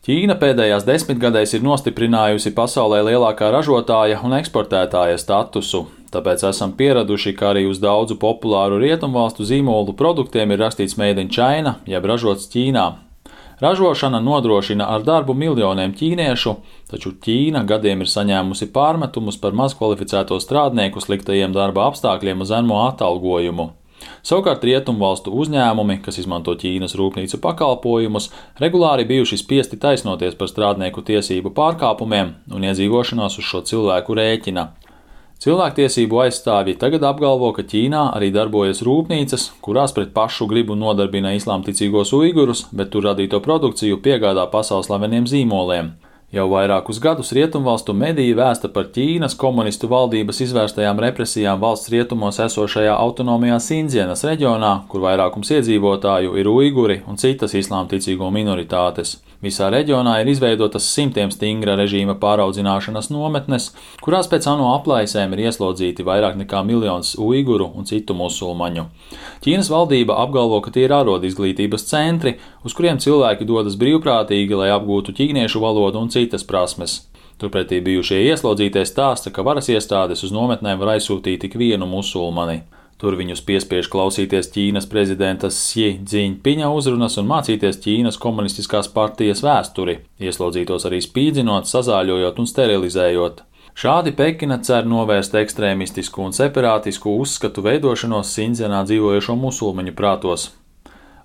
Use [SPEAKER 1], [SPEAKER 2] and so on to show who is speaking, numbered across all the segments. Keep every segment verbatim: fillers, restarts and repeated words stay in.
[SPEAKER 1] Ķīna pēdējās desmitgadēs ir nostiprinājusi pasaulē lielākā ražotāja un eksportētāja statusu, tāpēc esam pieraduši, ka arī uz daudzu populāru rietumvalstu zīmolu produktiem ir rakstīts Made in China, jeb ražots Ķīnā. Ražošana nodrošina ar darbu miljoniem ķīniešu, taču Ķīna gadiem ir saņēmusi pārmetumus par mazkvalificēto strādnieku sliktajiem darba apstākļiem un zemo atalgojumu. Savukārt rietumvalstu uzņēmumi, kas izmanto Ķīnas rūpnīcu pakalpojumus, regulāri bijuši spiesti taisnoties par strādnieku tiesību pārkāpumiem un iedzīvošanās uz šo cilvēku rēķina. Cilvēktiesību aizstāvji tagad apgalvo, ka Ķīnā arī darbojas rūpnīcas, kurās pret pašu gribu nodarbina islāmticīgos uigurus, bet tur radīto produkciju piegādā pasaules slaveniem zīmoliem. Jau vairākus gadus rietumvalstu mediji vēsta par Ķīnas komunistu valdības izvērstajām represijām valsts rietumos esošajā autonomajā Sindzienas reģionā, kur vairākums iedzīvotāju ir uiguri un citas islāmticīgo minoritātes. Visā reģionā ir izveidotas simtiem stingra režīma pāraudzināšanas nometnes, kurās pēc ANO aplaisēm ir ieslodzīti vairāk nekā miljons uiguru un citu musulmaņu. Ķīnas valdība apgalvo, ka tie ir arodizglītības centri, uz kuriem cilvēki dodas brīvprātīgi, lai apgūtu ķīniešu valodu un citas prasmes. Turpretī bijušie ieslodzītie stāsta, ka varas iestādes uz nometnēm var aizsūtīt tik vienu musulmani. Tur viņus piespiež klausīties Ķīnas prezidenta Xi Džiņpiņa uzrunas un mācīties Ķīnas komunistiskās partijas vēsturi, ieslodzītos arī spīdzinot, sazāļojot un sterilizējot. Šādi Pekina cer novērst ekstrēmistisku un separātisku uzskatu veidošanos Sindzienā dzīvojošo musulmaņu prātos.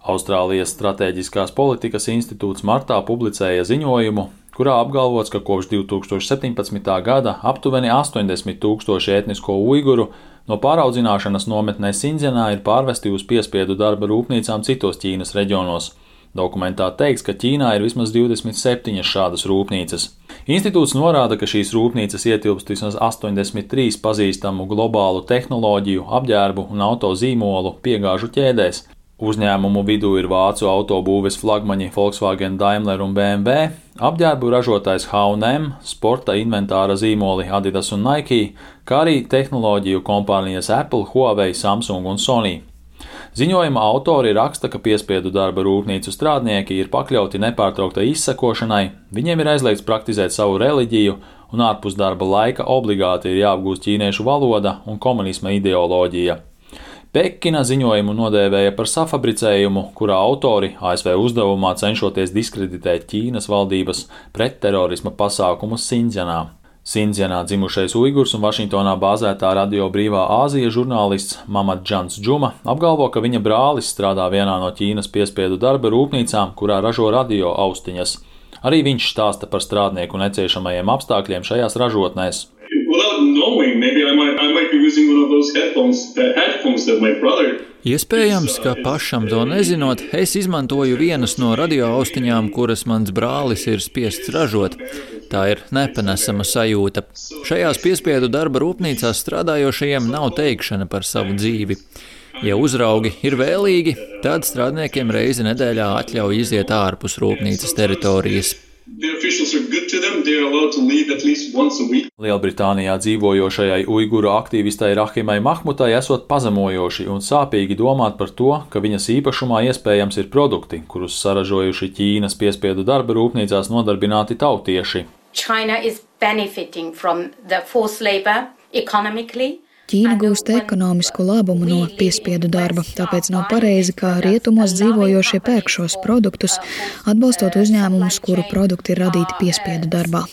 [SPEAKER 1] Austrālijas Stratēģiskās politikas institūts martā publicēja ziņojumu, kurā apgalvots, ka kopš divi tūkstoši septiņpadsmitā gada aptuveni astoņdesmit tūkstoši etnisko uiguru no pāraudzināšanas nometnē Sindzienā ir pārvesti uz piespiedu darba rūpnīcām citos Ķīnas reģionos. Dokumentā teikts, ka Ķīnā ir vismaz divdesmit septiņas šādas rūpnīcas. Institūts norāda, ka šīs rūpnīcas ietilpst vismaz astoņdesmit trīs pazīstamu globālu tehnoloģiju, apģērbu un auto zīmolu piegāžu ķēdēs. Uzņēmumu vidū ir vācu autobūves flagmaņi Volkswagen, Daimler un B M W, apģērbu ražotājs H un M, sporta inventāra zīmoli Adidas un Nike, kā arī tehnoloģiju kompānijas Apple, Huawei, Samsung un Sony. Ziņojuma autori raksta, ka piespiedu darba rūpnīcu strādnieki ir pakļauti nepārtrauktai izsekošanai, viņiem ir aizliegts praktizēt savu reliģiju un ārpus darba laika obligāti ir jāapgūst ķīniešu valoda un komunisma ideoloģija. Pekina ziņojumu nodēvēja par safabricējumu, kurā autori A S V uzdevumā cenšoties diskreditēt Ķīnas valdības pretterorisma pasākumus Sindzienā. Sindzienā dzimušais uigurs un Vašingtonā bāzētā Radio Brīvā Āzija žurnālists Mamad Džans Džuma apgalvo, ka viņa brālis strādā vienā no Ķīnas piespiedu darba rūpnīcām, kurā ražo radio austiņas. Arī viņš stāsta par strādnieku neciešamajiem apstākļiem šajās ražotnēs.
[SPEAKER 2] Iespējams, ka pašam to nezinot, es izmantoju vienas no radioaustiņām, kuras mans brālis ir spiests ražot. Tā ir nepanesama sajūta. Šajās piespiedu darba rūpnīcās strādājošajiem nav teikšana par savu dzīvi. Ja uzraugi ir vēlīgi, tad strādniekiem reizi nedēļā atļauj iziet ārpus rūpnīcas teritorijas.
[SPEAKER 1] Lielbritānijā dzīvojošajai uiguru aktīvistai Rahimai Mahmutai esot pazemojoši un sāpīgi domāt par to, ka viņas īpašumā iespējams ir produkti, kurus saražojuši Ķīnas piespiedu darba rūpnīcās nodarbināti tautieši.
[SPEAKER 3] China is benefiting from the forced labor economically.
[SPEAKER 4] Ķīna gūst ekonomisku labumu no piespiedu darba, tāpēc nav pareizi, ka rietumos dzīvojošie pērk šos produktus, atbalstot uzņēmumus, kuru produkti ir radīti piespiedu darbā.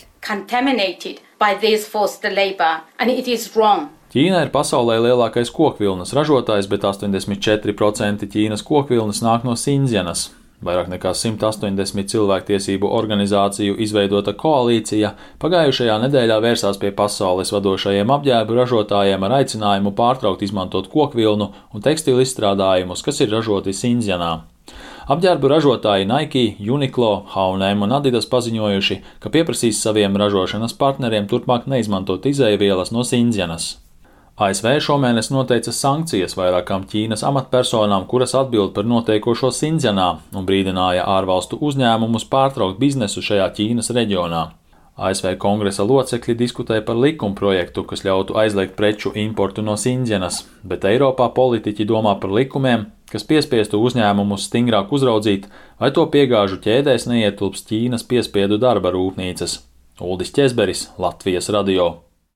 [SPEAKER 1] Ķīna ir pasaulē lielākais kokvilnas ražotājs, bet astoņdesmit četri procenti Ķīnas kokvilnas nāk no Sindzienas. Vairāk nekā simt astoņdesmit cilvēktiesību organizāciju izveidota koalīcija pagājušajā nedēļā vērsās pie pasaules vadošajiem apģērbu ražotājiem ar aicinājumu pārtraukt izmantot kokvilnu un tekstilu izstrādājumus, kas ir ražoti Sindzienā. Apģērbu ražotāji Nike, Uniqlo, H un M un Adidas paziņojuši, ka pieprasīs saviem ražošanas partneriem turpmāk neizmantot izēvielas no Sindzienas. A S V šomēnes noteica sankcijas vairākām Ķīnas amatpersonām, kuras atbild par notiekošo Sindzienā un brīdināja ārvalstu uzņēmumus pārtraukt biznesu šajā Ķīnas reģionā. A S V kongresa locekļi diskutēja par likumprojektu, kas ļautu aizliegt preču importu no Sindzienas, bet Eiropā politiķi domā par likumiem, kas piespiestu uzņēmumus stingrāk uzraudzīt, vai to piegāžu ķēdēs neietilps Ķīnas piespiedu darba rūpnīcas. Uldis Ķezberis, Latvijas radio.